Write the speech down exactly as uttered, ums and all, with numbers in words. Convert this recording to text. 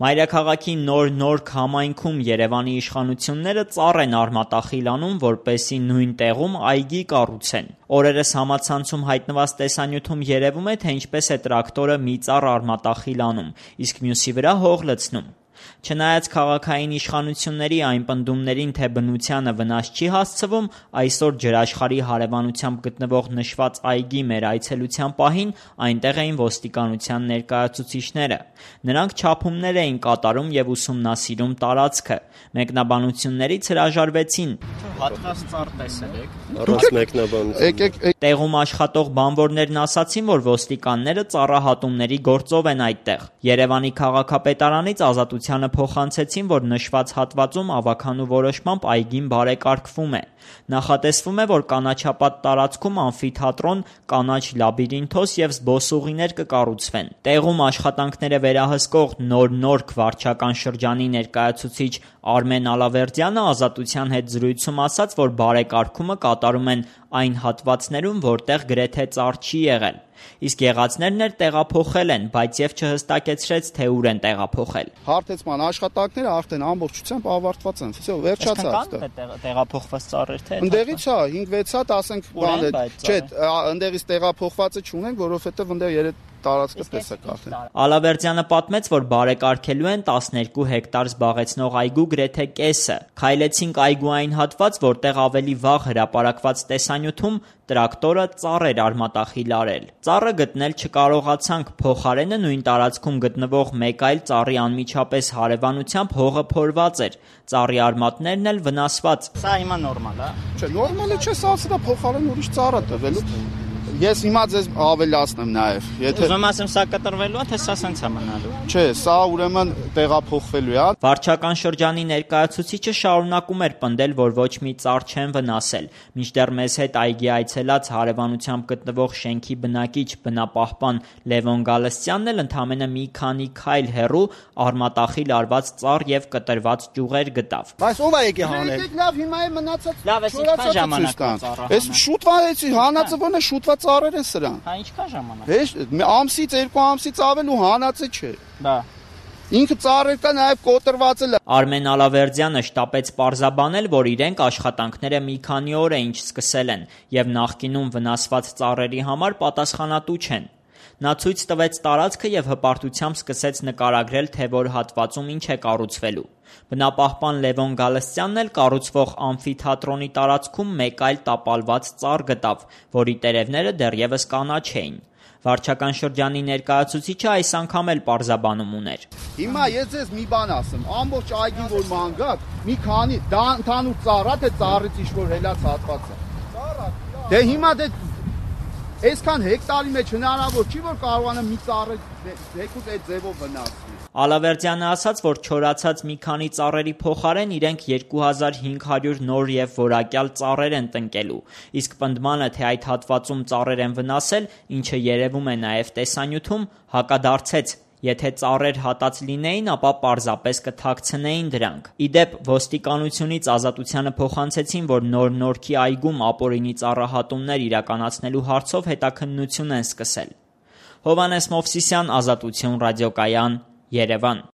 Մայրաքաղաքի նոր-նոր համայնքում Երևանի իշխանությունները ծառ են արմատախիլ անում, որպեսզի նույն տեղում այգի կառուցեն։ Օրերս համացանցում հայտնված տեսանյութում երևում է, թե ինչպես է տրակտորը մի ծառ արմատախիլ անում, իսկ մյուսի վրա հող լցնում։ Չնայած քաղաքային իշխանությունների այն պնդումներին, թե բնությանը վնաս չի հասցվում, այսօր ջրաշխարհի հարևանությամբ գտնվող նշված այգի մեր այցելության պահին այնտեղ էին ոստիկանության ներկայացուցիչները։ Նրանք չափումներ էին կատարում և ուսումնասիրում տարածքը։ Մեկնաբանություններից հրաժարվեցին։ Հատված ծառ տեսել եք։ Առանց մեկնաբանության։ Տեղում աշխատող բանվորներն ասացին, որ ոստիկանները ծառահատումների գործով են այդտեղ։ Երևանի քաղաքապետարանից Ազատությանը փոխանցեցին, որ նշված հատվածում ավագանու որոշմամբ այգին բարեկարգվում է։ Նախատեսվում է, որ կանաչապատ տարածքում ամֆիթատրոն, կանաչ լաբիրինթոս և զբոսուղիներ կկառուցվեն։ Տեղում աշխատանքները վերահսկող Նոր-Նորք վարչական շրջանի ներկայացուցիչ Արմեն Ալավերդյանը Ազատության հետ զրույցում ասաց, որ բարեկարգումը կատարում են այն հատվածներում, որտեղ գրեթե ծառ չի եղել։ Իսկ եղածներն էլ տեղափոխել են, բայց և չհստակեցրեց, թե ուր են տեղափոխել։ Հարթեցման աշխատանքները արդեն ամբողջությամբ ավարտված են։ Всё, վերջացավ։ Տեղափոխված ծառեր թե։ Ընդեղից հա, հինգ-վեց հատ, ասենք, բան է։ Չէ, ընդեղից տեղափոխվածը չունենք, որովհետև ընդեղ երեք տարածքը տեսակ արդեն։ Ալավերդյանը պատմեց, որ բարեկարգելու են տասներկու հեկտար զբաղեցնող այգու գրեթե կեսը։ Քայլեցինք այգու այն հատված, որտեղ ավելի վաղ հրապարակված տեսանյութում տրակտորը ծառ էր արմատախիլ արել։ Ծառը գտնել չկարողացանք, փոխարենը նույն տարածքում գտնվող մեկ այլ ծառի անմիջապես հարևանությամբ հողը փորված էր, ծառի արմատներն էլ վնասված։ Սա հիմա նորմալ է։ Չէ, նորմալ է, չէ, սա սա փոխարեն ուրիշ ծառ է տվելու։ Ես հիմա ձեզ ավելացնեմ նաև, եթե Ուզում ասեմ, սա կտրվելու է, թե սա սենց է մնալու։ Չէ, սա ուրեմն տեղափոխվելու է։ Վարչական շրջանի ներկայացուցիչը շարունակում էր պնդել, որ ոչ մի ծառ չեն վնասել, մինչդեռ մեզ հետ այգի այցելած հարևանությամբ գտնվող շենքի բնակիչ բնապահպան Լևոն Գալստյանն էլ ընդամենը մի քանի քայլ հեռու արմատախիլ արված ծառ և կտրված ճյուղեր գտավ։ Բայց ով է եկել հանել։ Լավ, հիմա է մնացած։ Լավ, այս ինչքան ժամանակ է ծառը։ Այս շուտվա էցի հանածը ո՞ն է, շուտվա ծառեր են սրան։ Հա, ինչքան ժամանակ։ Հեշ, ամսից, երկու ամսից ավել ու հանածը չէ։ Բա Ինքը ծառեր կա նաև կոտրված է։ Արմեն Ալավերդյանը շտապեց պարզաբանել, որ իրենք աշխատանքները մի քանի օր է ինչ սկսել են և նախկինում վնասված ծառերի համար պատասխանատու չեն։ Նա ցույց տվեց տարածքը և հպարտությամբ սկսեց նկարագրել, թե որ հատվածում ինչ է կառուցվելու։ Բնապահպան Լևոն Գալստյանն էլ կառուցվող ամֆիթատրոնի տարածքում մեկ այլ տապալված ծառ գտավ, որի տերևները դեռևս կանաչ էին։ Վարչական շրջանի ներկայացուցիչը այս անգամ էլ պարզաբանում ուներ։ Հիմա ես ձեզ մի բան ասեմ, ամբողջ այգին որ մանգակ, մի քանի դա ընդհանուր ծառ է, թե ծառից ինչ-որ հելած հատված է։ Ծառ է։ Դե հիմա դե այսքան հեկտարի մեջ հնարավոր չի, որ կարողանա մի ծառը եկուց այդ ձևով վնասվի։ Ալավերդյանը ասաց, որ չորացած մի քանի ծառերի փոխարեն իրենք երկու հազար հինգ հարյուր նոր և որակյալ ծառեր են տնկելու, իսկ պնդմանը, թե այդ հատվածում ծառեր են վնասել, ինչը երևում է նաև տեսանյութում, հակադարձեց. Եթե ծառեր հատած լինեին, ապա պարզապես կթաքցնեին դրանք։ Ի դեպ, ոստիկանությունից Ազատությանը փոխանցեցին, որ Նոր-Նորքի այգում ապօրինի ծառահատումներ իրականացնելու հարցով հետաքննություն են սկսել։ Հովհաննես Մովսիսյան, Ազատություն ռադիոկայան, Երևան։